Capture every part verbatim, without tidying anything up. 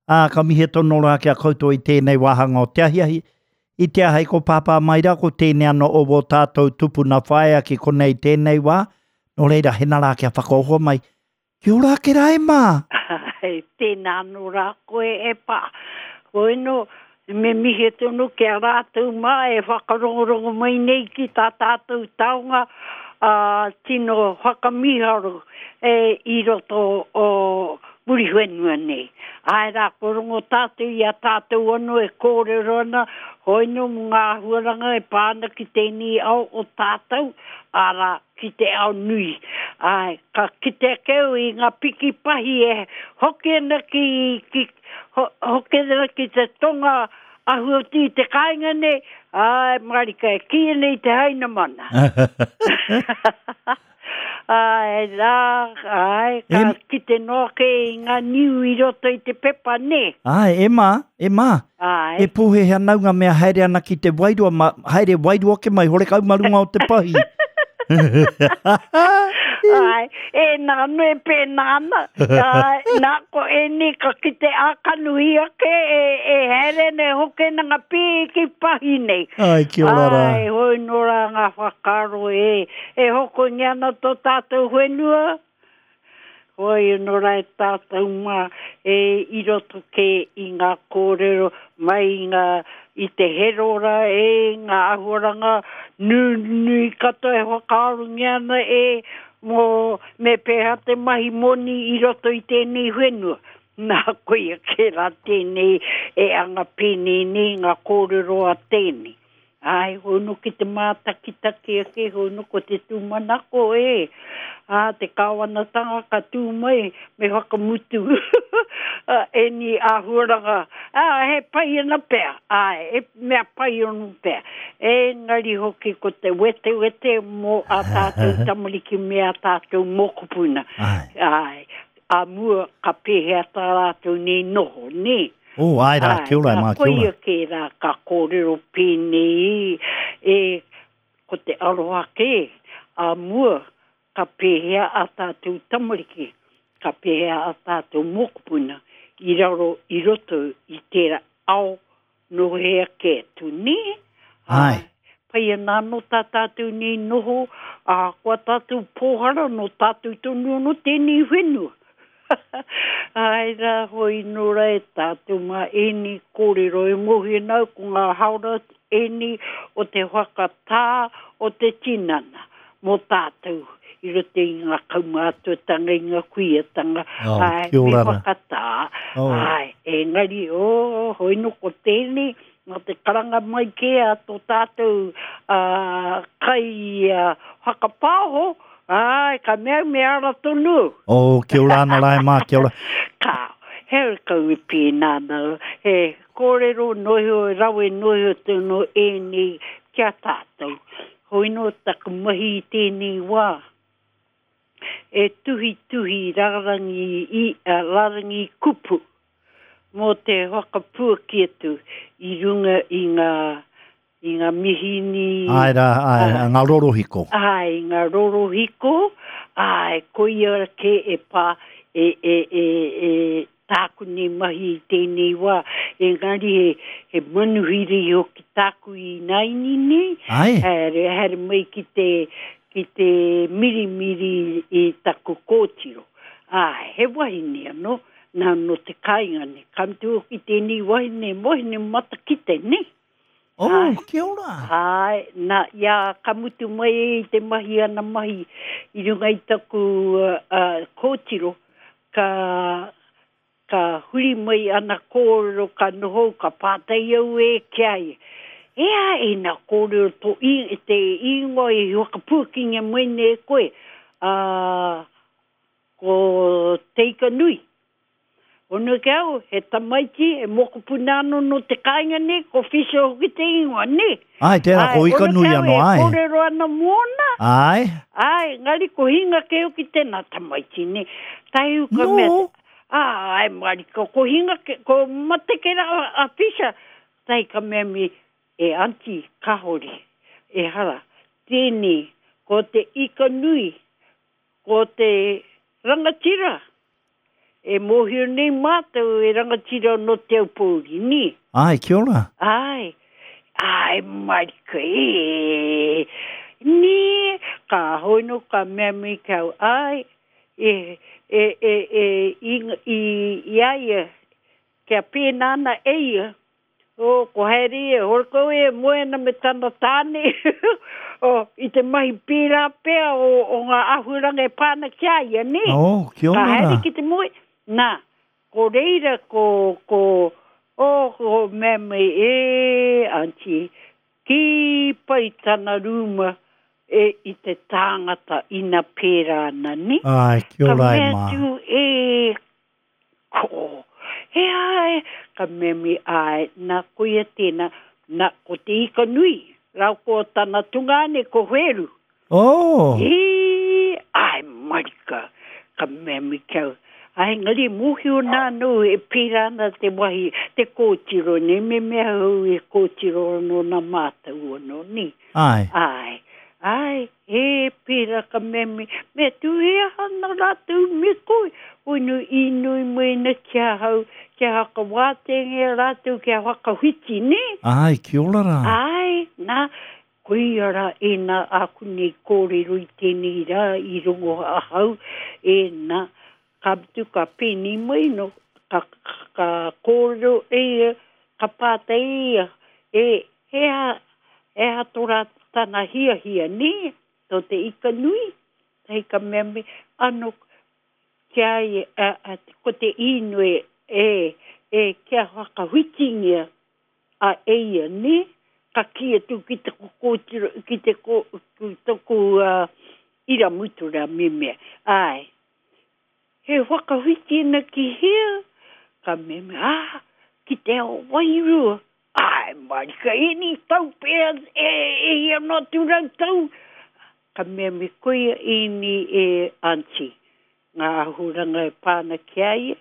Ā, ka mihi tonu rā ki a koutou i tēnei wāhanga o te ahiahi. I te ahei ko Pāpā mai rā, ko tēnei anō o wō tātou tupuna whaea ki konei tēnei wā. Nō reira, hena rā kia whakaoho mai. Kia ora ake rā e mā! Ai, tēnā anō rā koe e pā. Hoi nō, me mihi tonu ki a rātou mā e whakarongorongo mai nei ki tā tātou taonga ā, tino whakamīharo e i roto o Muriwhenua nei. Āe rā, kua rongo tātou i a tātou anō e kōrero ana, hoi nō mō ngā āhuaranga e pā ana ki tēnei ao o tātou, arā, ki te ao nui. Āe, ka kite ake au i ngā piki pahi e hoki ana ki, ki, ho, hoki ana ki te tonga ahu atu i te kāinga nei, āe, mārika e kīia nei te Hainamana. Āe rā, āe, ka Em- kite noa kē i ngā niu i roto i te pepa, nē? Āe, e mā, e mā. Āe. E pōhēhē ana au ngā mea haere ana ki te wairua, ma, haere wairua ke mai, horekau ma runga o te pahi. Āe, e nā anō e pēnā ana. Āe, nā, ko ēnei ka kite ā-kanohi ake e, e haere ana e hoki ana ngā pīki pahi nei. Ai, kia ora rā. Āe, hoi nō rā ngā whakaaro e, e hokongia ana tō tātou whenua. Hoi anō rā e tātou mā e i roto kē i ngā kōrero mai i ngā, i te herora e ngā āhuaranga nunui katoa e whakaarongia ana e mō me pēhea te mahi moni i roto i tēnei whenua. Nā, koia kē rā tēnei e anga pēnei nei ngā kōrero a tēnei. Āe, hoi nō ki te mātakitaki ake, hoi nō ko te tūmanako e. Ā, te kāwanatanga ka tū mai me whakamutu ēnei āhuaranga. Ā, he pai ana pea, āe, he mea pai anō pea. Engari hoki ko te wetewete mō ā tātou tamariki me ā tātou mokopuna. Āe. Āe, ā mua ka pēhea tā rātou nei noho, nē? Oh, āe rā, Āe, kia ora, nā, mā, kia ora. koia kē rā ka kōrero pēnei e ko te aroha kē, ā mua ka pēhea ā tātou tamariki, ka pēhea ā tātou mokopuna i raro i roto i tērā ao nō hea kē atu, nē? Āe. Pai ana anō tā tātou nei noho, ā, kua tātou pōhara nō tātou tonu anō tēnei whenua. Āe rā, hoi nō rā e tātou mā ēnei kōrero e mōhio ana au ko ngā haora ēnei o te whakatā o te tinana mō tātou i roto i ngā kaumātuatanga, i ngā kuiatanga, Oh, āe, kia me ora rā. whakatā, Oh. āe, engari, oh, hoi nō ko tēnei, nā te karanga mai kē a tō tātou uh, kai uh, whakapāho, āe, ka mea me ara tonu. Oh, kia ora ana rā e mā, kia ora. Ka, he kau e pēnā ana, he kōrero noho, rawe noho tonu ēnei kia tātou. Hoi nō taku mahi i tēnei wā. E tuhi tuhi rārangi, i, uh, rārangi kupu mō te whakapuaki atu i runga i ngā, i ngā mihini. Āe rā, āe, Āe. ngā rorohiko. Āe, ngā rorohiko, āe, koia kē e pā, e, e, e, e tāku nei mahi i tēnei wā. Engari he, he manuhiri hoki tāku i naini nei. Āe. Haere, haere mai ki te, ki te mirimiri i taku kōtiro. Āe, he wahine anō, nā nō te kāinga nei. Ka mutu hoki tēnei wahine, wahine matakite, ne? Oh, Āe. kia ora. Āe, nā, ia ka mutu mai i te mahi ana mahi i runga i taku uh, uh, kōtiro, ka, ka huri mai ana kōrero, ka noho, ka pātai au e ki a ia. E a e nā kōrero tō i, te ingoa i whakapuakingia mai nei e koe, uh, ko Te Ika Nui. Ono ke au, he tamaiti, he mokopuna anō nō te kāinga nei, ko Fisher hoki te ingoa, nē? Āe, tērā, ko Āe, Ika ono Nui ke au anō, e āe. kōrero ana mōna. Āe. Āe, ngari ko hinga ke hoki tēnā tamaiti, nē. Tahi uka No. mea, āe, marika, ko hinga ke, ko mate ke rā a Fisher. Tahi ka mea mi, e auntie, kahore, e hara, tēnei, ko te Ika Nui, ko te rangatira, E mōhio nei mātou e rangatira no Te Aupōuri, ni? Ai, kia ora. Ai, ai, marika, e, ni, ka hoino ka mea mai kau, ai, e, e, e, e, i, i, i a ia, kia pēnā ana e ia, o, ko haere ia, hore kau e moe ana me tana tāne, o, i te mahi pērā pea o, o ngā āhuaranga e pā ana ki a ia, nē? Oh, kia Ka ora haere rā. ki te moe, nā, ko reira ko, ko, o, ko mea mai, e, auntie, ki pai tana rūma e, i te tāngata ina pērā ana, nē? Ai, kia Ka ora e mea mā. atu, e, ko, he ai, ka mea mai, ai, nā koia tēnā, nā, ko te ika nui, rau ko tana tungāne, ko Wheru. Oh, E, ai, marika, ka mea mai kau. Ai, ngari mōhio nā nō e pērā ana te wahi, te kōtiro nei, me mea hau e kōtiro anō nā mātou anō, ni. ai. Ai, ai, e pērā ka mea mai, mea tu he aha nā rātou me koe, hoi nu inoi mai na kia hau, kia hakawātengia rātou, kia whakawhiti, ne? Ai, kia ora rā. Ai, nā, koia rā e nā aku nei kōrero i tēnei rā i rongo ahau, e nā, ka mutu ka pēnei mai no, ka, ka, ka kōrero e ia, ka pātai e ia, e, he aha, he aha tō rā tana hiahia, nē, tō te ika nui, hei ka mea mai, ano, kia ia, a, a, ko te inoi e, e, kia whakawhitingia a e ia, nē, ka ki atu ki te kōtiro, ki te ko, ki toku uh, iramutu rā me mea. Ai, he whakawhiti ana ki hea, ka mea mea, ah, ki te ao wairua. Ai, marika, eni tau pea, e, e hia noa atu rau tau. Ka mea me koia eni e auntie, ngā āhuranga e pāna ki a ia.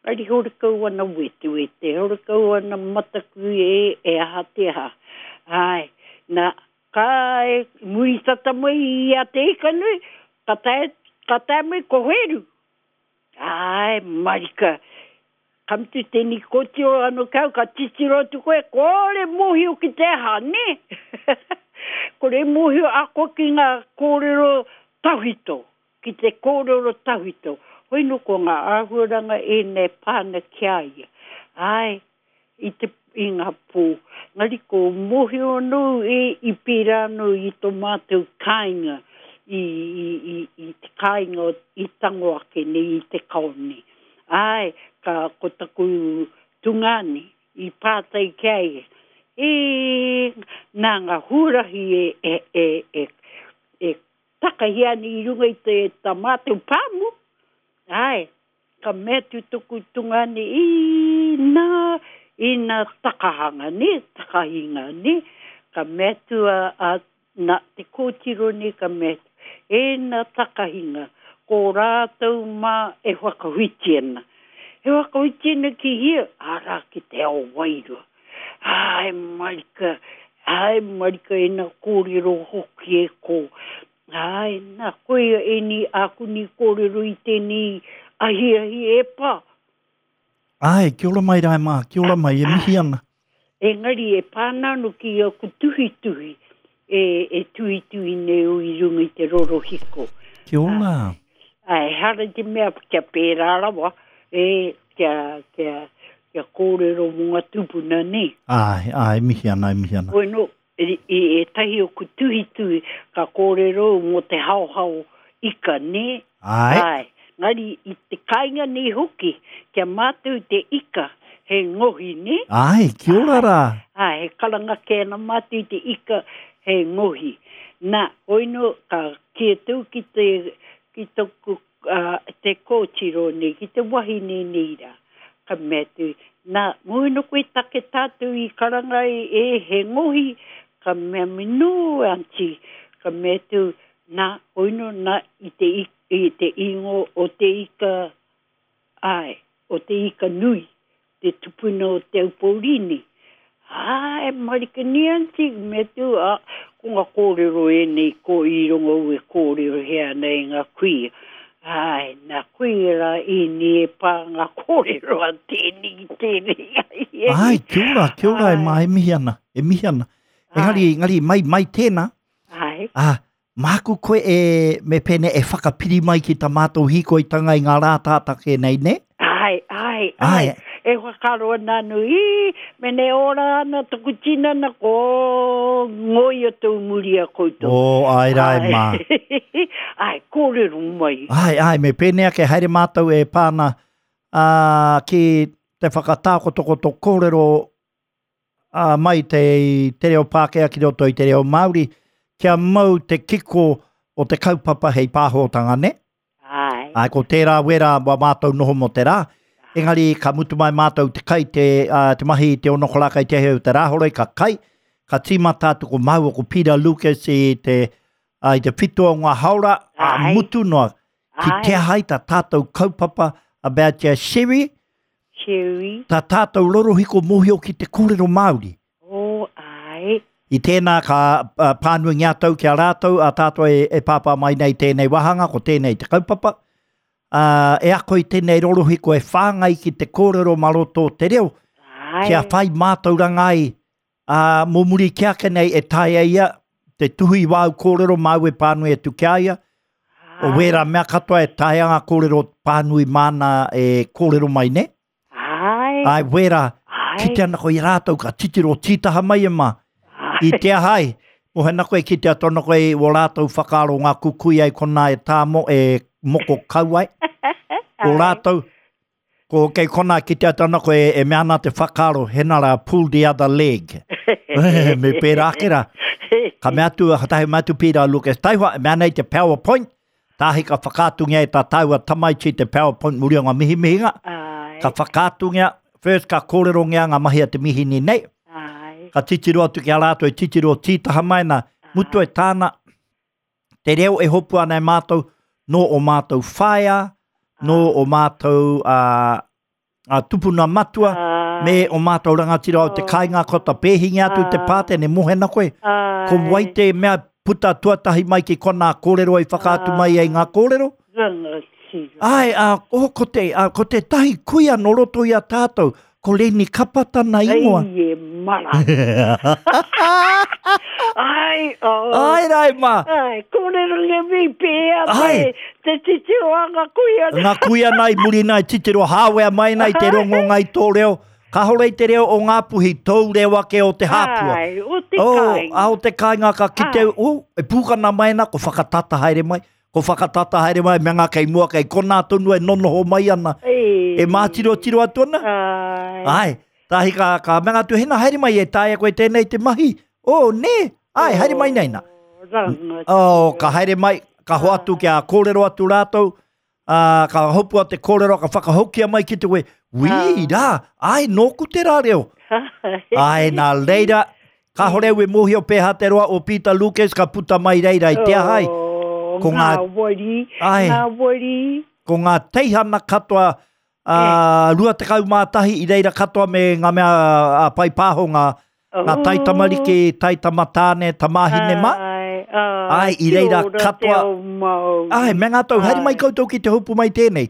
Ari hore kau ana wetewete, hore kau ana mataku e, e aha te aha. Ai, nā, ka e, muri tata mai i a te ika nui, ka tae, ka tae mai ko Wheru. Ai, marika, ka mutu tēnei kōtiro anō kau, ka titiro atu koe, kore mōhio ki te aha, nē? Kore mōhio ako ki ngā kōrero tawhito, ki te kōrero tawhito. Hoi no ko ngā āhuaranga e nei pāna ki a ia. Ai, i te i ngā pō. Ngari ko mōhio anō e i pērā anō i tō mātou kāinga, i, i, i, i te kāinga i tango ake nei i te kao nei. Ai, ka ko taku tungāne i pātai ki a ia. E, nā ngā huarahi e, e, e, e, e takahi ana i runga i te tā mātou pāmu. Ai, ka mea atu toku tungāne, i nā, i nā takahanga, ne, takahinga, ne. Ka mea atu a, a nā, te kōtiro nei ka mea atu, e nā takahinga, ko rātou mā e whakawhiti ana. E whakawhiti ana ki hia, arā ki te ao wairua. Ai, marika, ai, marika e nā kōrero hoki e ko. Ai, nā, koia e ni aku ni kōrero i tēnei ahiahi e pā. Ai, kia ora mai rā e mā, kia ora mai, e mihi ana. Engari e pāna anu ki aku tuhituhi, e, e tuhituhi nei o i runga i te rorohiko. Kia ora. Ai, hara te mea kia pērā rawa, e, kia, kia, kia kōrero mō ngā tūpuna nei. Ai, ai, mihi ana, e mihi ana. Hoi no, i, i ētahi o ku tuhituhi ka kōrero mō te haohao ika, nē? Ai, Ai, ngari i te kāinga nei hoki, kia mātou te ika, he ngohi, nē? ai, kia ora rā. Ai, he karanga kē ana mātou i te ika, he ngohi. Nā, hoi no, ka ki atu ki te, ki toku, uh, te kōtiro nei, ki te wahine nei rā. Ka mea atu, nā, mō no koe take tātou i karanga e, e he ngohi, ka mea mai, no, auntie, ka mea atu, nā, hoi no, nā, i te, i, i te ingo o te ika, ai, o te ika nui, te tupuna o Te Aupōuri. Ai, marika ni auntie, me tu, a, ko ngā kōrero e nei, ko i rongo au e kōrero hea nei ngā kuia. Ai, nā koe rā ini e pā ngā kōrero a tēnei, tēnei. Ai, kia ora, kia ora e mā, e mihi ana, e mihi ana. Engari, engari, mai, mai tēnā. Ai. Ah, māku koe e, me pēnei e whakapiri mai ki tā mātou hīkoitanga i ngā rā tātake nei, ne? Ai, ai, ai. Ai. E whakaaro ana anu, i, mene ora ana toku tinana, ko ngoia tō muri a koutou. O, ai rā e mā. Ai, kōrero mai. Ai, ai, me pēnei ake haere mātou e pāna ā, ki te whakatākotokoto kōrero ā, mai te, te reo Pākehā ki roto i te reo Māori, kia mau te kiko o te kaupapa hei pāhotanga, ne? Ai. Ai, ko tērā wera wā mātou noho mō te rā. Engari, ka mutu mai mātou te kai, te, uh, te mahi te ono koraka i te heo te rāhoroi, ka kai, ka tīmata atu ko māua ko Peter Lucas i te, uh, i te whitu o ngā haora, a Ai. mutu noa, ki Ai. te ahai tā tātou kaupapa about your sherry, Sherry. tā tātou rorohiko mōhio ki te kōrero Māori. O, ai. I tēnā ka uh, pānui ngā tau ki a rātou, a tātou e, e pāpā mai nei tēnei wāhanga, ko tēnei te kaupapa. Uh, e ako i tēnei rorohiko e whāngai ki te kōrero maroto o te reo, Ai. kia whai mātauranga ai, uh, mō muri ki ake nei e taea ia, te tuhi wāu kōrero māu e pānui atu ki a ia, o wērā mea katoa e taea ngā kōrero pānui māna e kōrero mai ne. Ai. Ai, wērā, Ai. kite ana ko i rātou ka titiro tītaha mai e mā. Ai. I te ahai, o hena koe ki te atono koe o rātou whakaaro ngā kukui ai kona e tāmo e moko kauai. O rātou, ko kei kona ki te atono koe e mea ana te whakaaro, hena rā pull the other leg. Me pērā ake rā. Ka mea atu, ka tahi mea atu Peter Lucas Taihoa, e mea nei te PowerPoint, tāhi ka whakaatungia e tā tāua tamaiti te PowerPoint muri o ngā mihimihinga. Ai. Ka whakaatungia, first ka kōrerongia ngā mahi a te mihini nei, Ai. ka titiro atu ki a rātou e titiro tītaha mai nā, mutu e tāna, te reo e hopu ana e mātou, nō o mātou whaea, nō o mātou uh, uh, tupuna matua, Ai. me o mātou rangatira o te kāinga ko ta pēhinga atu te pātene, mohena koe. Ai. Ko wai te mea puta tuatahi mai ki kona kōrero i whakaatu mai ai ngā kōrero. Rangatira. Ai, a, oh, ko, te, a, ko te tahi kuia no roto i a tātou, ko Leni Kapa tana ingoa. Ai e mara. Ai, oh. Ai rai mā, Ai, kōrero nge mi pēa Ai. te, te titiro a ngā kuia. ngā kuia nei muri nei titiro hāwea mai nei te rongo ngai tō reo. Kāhore i te reo o ngā puhi, tōu reo ake o te hāpua. Ai, o te Oh, kāinga. a o te kāinga ka kite, Ai. oh, e pūkana mai ana, ko whakatata haere mai, ko whakatata haere mai, me ngā kei mua, kei konā tonu e nonoho mai ana. E, E mātiro tiro atu ana. Ai. Ai, tāhi ka, ka mea atu, hena haere mai e taea koe tēnei te mahi. Oh, nē, ai, haere mai nei nā. Rangatira. Oh, ka haere mai, ka hoatu kia kōrero atu rātou, uh, ka hopua te kōrero, ka whakahokia mai ki te we, wī, rā, ai, nōku te rā reo. Ai, nā reira, ka hore ue mōhio pēhā te roa o Peter Lucas ka puta mai reira i te ahai. Oh, Ko ngā ngā- wari, Ai. ngā wari. Ko ngā teihana katoa, uh, rua tekau mā tahi i reira katoa me ngā mea uh, pai pāho ngā, ngā taitamariki, taitamatāne, tamāhine mā. Ai, ai, Ai, i reira kia ora katoa- te ao Māori. Ai, me ngā tau, haere mai Ai. koutou ki te hopu mai tēnei.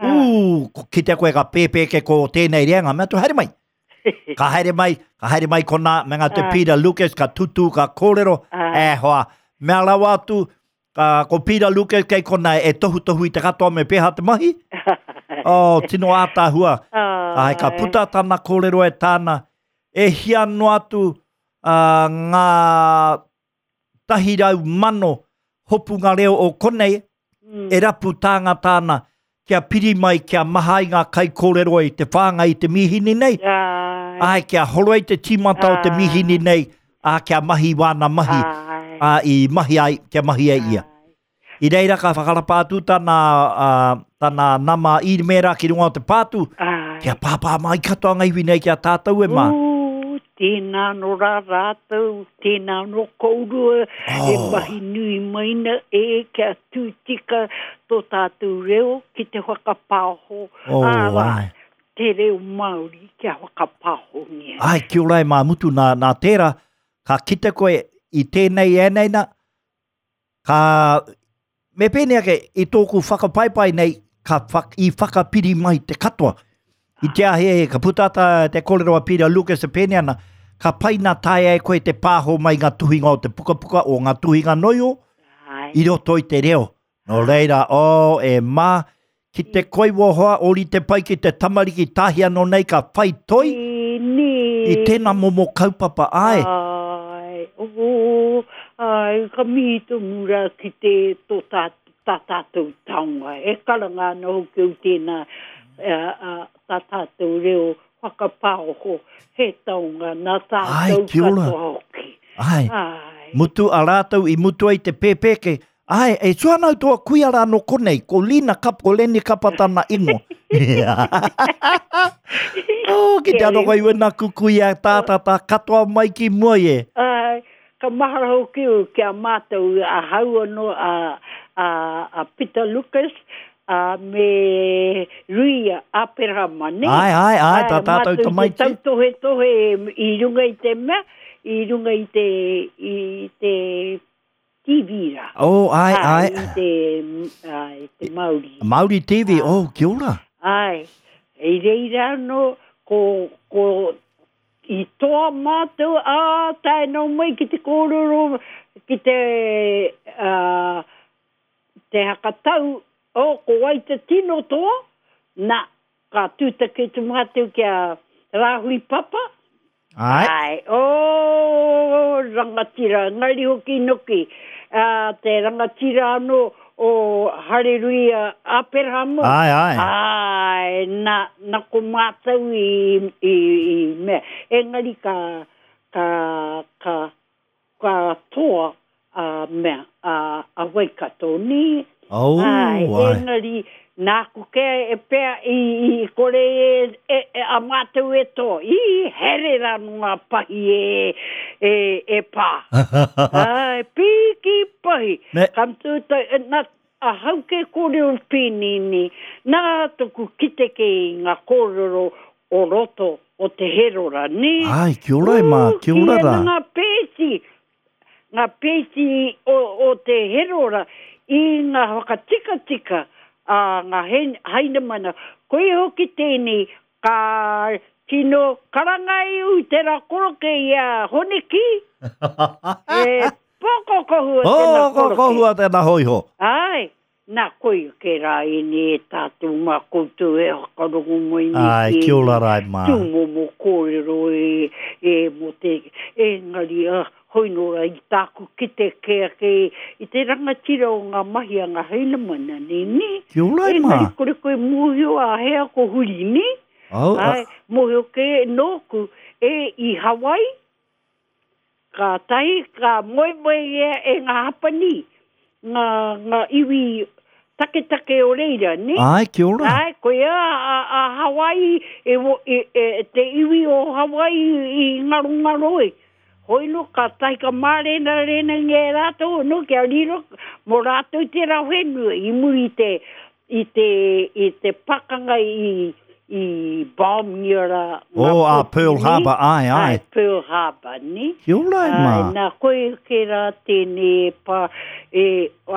Ū, ko- kite koe ka pēpēke ko tēnei reanga, mea tu haere mai. Ka haere mai, ka haere mai kona, me ngā te Ai. Peter Lucas, ka tutu, ka kōrero, Ai. e hoa. Mea rawa atu, ka, ko Peter Lucas kei kona e tohu tohu i te katoa me pēhā te mahi. Oh, tino ātāhua. Ai, ka puta tana kōrero e tāna, e hia noa atu uh, ngā tahi rau mano hopunga reo o konei, Mm. e rapu tāngata ana kia piri mai, kia maha i ngā kai kōrero i te whāngai i te mihini nei, Ai, ai, kia horoi te tīmata o te Ai. mihini nei, a kia mahi wāna mahi, ai, a, i mahi ai, kia mahi ai ia. I reira ka whakarapa atu tana, uh, tana nama īmēra ki runga o te pātū, ai. kia pāpā mai katoa ngā iwi nei ki a tātou e mā. Ū, tēnā no rā rātou, tēnā no kourua, e Oh. mahi nui maina e kia tūtika tō tātou reo ki te whakapāho. Oh, Āra, ai. te reo Māori kia whakapāhongia. Ai, kia ora e mā mutu nā, nā tērā, ka kite koe i tēnei e nei nā, ka me pēnei ake, i tōku whakapaipai nei, ka whak, i whakapiri mai te katoa. I te ahe, ka puta tā te kōrero a Peter Lucas e pēnei ana, ka pai nā taea e koe te pāho mai ngā tuhinga o te pukapuka o ngā tuhinga noio Ai. i roto i te reo. Nō reira, o, e mā, ki te koi wohoa, ori te pai ki te tamariki tahi anō nei ka whai toi Tēnei. i tēnā momo kaupapa, ai. Ai, oh, ai, ka mihi tonu rā ki te tō tā, tā tātou taonga. E karanga ana hoki au tēnā a, a, tā tātou reo whakapaoho he taonga nā Ai, tātou kia ora. katoa hoki. Ai. Ai. Mutu a rātou i mutu ai te pēpēke. Ai, e suanau toa kuia rā no konei, ko Lina Kap, ko Leni Kapa tana ingoa. oh, ki te anō kai wena kukuia tātata katoa mai ki mua i e. Ai, ka mahara hoki au ki a mātou a hau anō a, a, a Peter Lucas a me Ruia Aperahama, ne? Ai, ai, ai, tā tātou mātou te tamaiti. tautohetohe i runga i te mea, i runga i te, i te T V rā. Oh, ai, ai. I te, ai, te Māori. Māori T V, oh, kia ora. Ai, i reira anō, ko, ko, i toa mātou, ā, tae nō mai ki te kōrero, ki te, uh, te hakatau, oh, ko wai te tino toa, nā, ka tūtaki tu mātou kia Rāhui Papa. Ai. Ai, oh, rangatira, ngari hoki noki, uh, te rangatira anō o Hareruia Aperahama. Ai, ai. Ai, nā, nā ko mātou i, i, i mea. Engari ka, ka, ka, ka toa a mea, a, a Waikato, ni? Oh, Ai, ai. engari, nāku ke e pea i, i kore e, e, e, a mātou e toa. I here rā no ngā pahi e, e, e pā. Ai, piki pahi. Me- Ka tū tai, e, nā, a hau ke kōrero pīnini, nā toku kite ke i ngā kōrero o roto o te herora, ni? Ai, kia ora e mā, kia ora Ū, rā. ki ana ngā pēti, ngā pēti o, o te herora i ngā whakatikatika a ngā hen, hainamana. Koe hoki tēnei, ka tino karanga i u te rā koroke i a Honeki. E poko kohua tēnā Oh, ko koroke. kohua tēnā hoiho. Ai, nā koe ke rā ini e tātou mā koutou e whakarongo mai nei Ai, ki kia ora rā e mā. Tūmomo kōrero e, e mō te engari a hoi nō rā i tāku kite ke ake i te rangatira o ngā mahi a ngā hainamana nei, ni? Kia ora e mā. Engari kore koe mōhio a hea ko huri, ni? Oh, Ai, mōhio ke nōku e i Hawaii, ka tahi, ka moe moe e, e ngā hapani, ngā, ngā iwi taketake o reira, ni? Ai, kia ora. Ai, koe a, a, a Hawaii, e, wo- e, e, te iwi o Hawaii i ngaro ngaro e. Hoi no, ka tahi ka mārena rena nge rātou, no, kia riro, mō rātou te rā whenua, i muri te, i te, i te pakanga i, i bombngia rā. ngā Oh, a pōti, Pearl ni? Harbor, ai, ai. Ai, Pearl Harbor, ni? Kia ora e mā. Ai, nā, koe ke rā tēnei e pā, e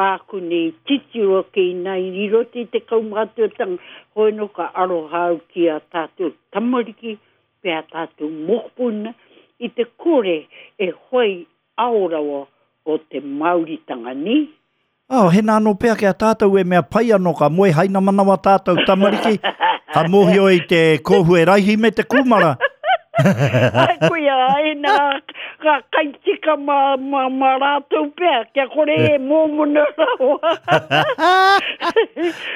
āku nei titiro ke i nā i riro te te kaumātuatanga, hoi no ka aroha au ki a tātou tamariki, pe a tātou mokopuna, i te kore e hoi aorawa o te Māoritanga, ni? Oh, he nā anō pea ki a tātou e mea pai anō ka moe haina manawa tātou tamariki, ka mōhio i te kōhue raihi me te kūmara. Ai, koia, ai nā, ka kaitika mā, mā, mā rātou pea, kia kore e mōmona rawa.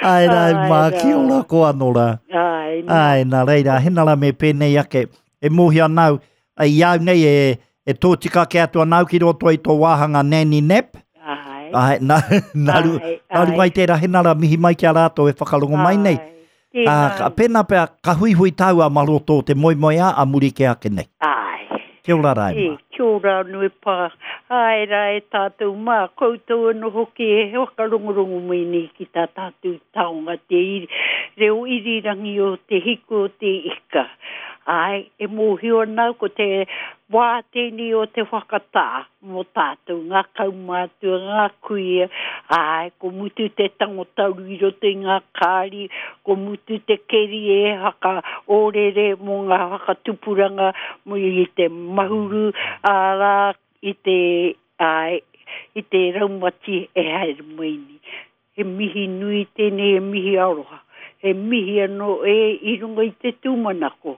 Ai rā, Ai mā, rā. ki ora ko anō rā. Ai, nā. Ai, nā reira, hena rā me pēnei ake, e mōhio anau, ai i au nei e, e tōtika ke atu anau ki roto i tō wāhanga Nanny Nap. Ai. Ai, nā, nā, ru, Ai, nā runga i tērā hena rā mihi mai ki a rātou e whakarongo mai nei. Ai, Ā, tēnā. ka, pēnā pea, ka huihui tāua ma roto o te moemoeā a muri ke ake nei. Ai. Kia ora rā e E, mā. kia ora anō e pā. Ai rā e tātou mā, koutou anō hoki e whakarongorongo mai nei ki tā tātou taonga te iri, reo irirangi o te hiku o te ika. Āe, e mōhio ana au ko te wā tēnei o te whakatā mō tātou, ngā kaumātua, ngā kuia, āe, ko mutu te tango tauru i roto i ngā kāri, ko mutu te keri e whakaōrere mō ngā whakatupuranga mō i te mahuru, arā, i te, āe, i te raumati e haere mai nei. He mihi nui tēnei, he mihi aroha. He mihi anō e i runga i te tūmanako,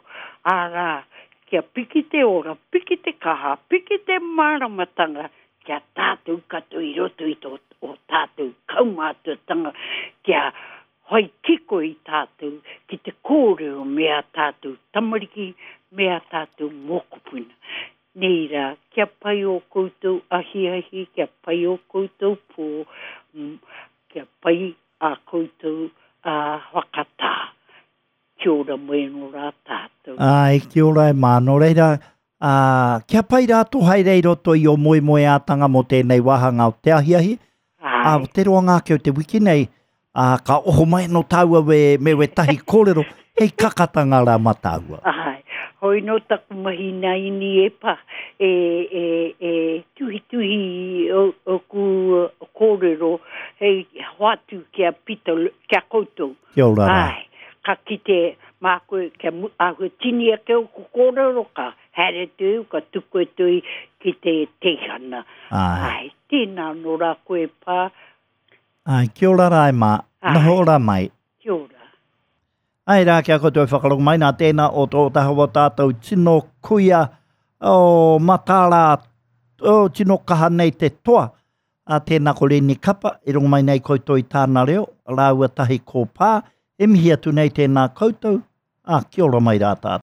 arā, kia piki te ora, piki te kaha, piki te māramatanga kia tātou katoa i roto i tō o tātou kaumātuatanga, kia whai kiko i tātou ki te kōrero me ā tātou tamariki, me ā tātou mokopuna. Nei rā, kia pai ō koutou ahiahi, kia pai ō koutou pō, kia pai ā koutou ā whakatā. Kia ora mai anō rā tātou. Āe, kia ora e mā. Nō reira, ā, kia pai rā tō haere i roto i ō moemoeātanga mō tēnei wāhanga o te ahiahi. Ā, Āe. te roanga ake o te wiki nei, ā, ka oho mai anō tāua we, me wētahi kōrero, hei kakatanga rā mā tāua. Āe, hoi nō taku mahi nā ini e pā, e, e, e tuhituhi o, oku kōrero hei hoatu ki a Pita, ki a koutou. Kia ora rā. Āe, ka kite mā koe kia mu, āhua tini ake oku kōrero ka haere atu, ka tuku atu ki te teihana. Āe. Āe, tēnā nō rā koe pā. Āe, kia ora rā e mā. Āe. Noho ora mai. Kia ora. Ai rā, kia koutou e whakarongo mai nā tēnā o tō taha o tātou tino kuia o matara o tino kaha nei te toa. A tēnā ko Reni Kapa, i rongo mai nei koutou i tāna reo, rāua tahi ko pā, e mihi atu nei tēnā koutou, a kia ora mai rā tātou.